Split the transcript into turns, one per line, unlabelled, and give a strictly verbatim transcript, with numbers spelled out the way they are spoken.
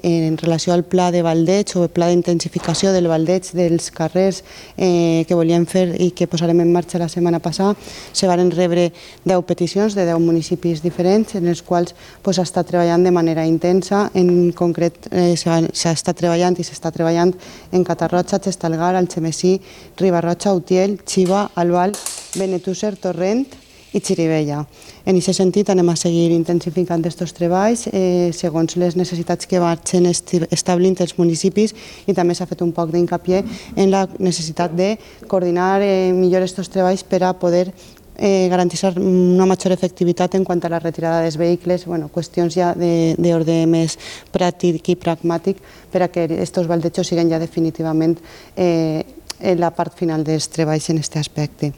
En relació al pla de baldeig o el pla d'intensificació del baldeig dels carrers eh, que volíem fer i que posarem en marxa la setmana passada, se van rebre deu peticions de deu municipis diferents en els quals s'ha estat treballant de manera intensa. En concret eh, s'ha estat treballant i s'està treballant en Catarroja, Xestalgar, Algemesí, Riba-roja, Utiel, Xiva, Albal, Benetússer, Torrent i Xirivella. En aquest sentit anem a seguir intensificant aquests treballs eh, segons les necessitats que vagin establint els municipis, i també s'ha fet un poc d'incapié en la necessitat de coordinar eh, millor aquests treballs per a poder eh, garantir una major efectivitat en quant a la retirada dels vehicles, bueno, qüestions ja d'ordre més pràctic i pragmàtic per a que aquests baldejos siguin ja definitivament eh, en la part final dels treballs en aquest aspecte.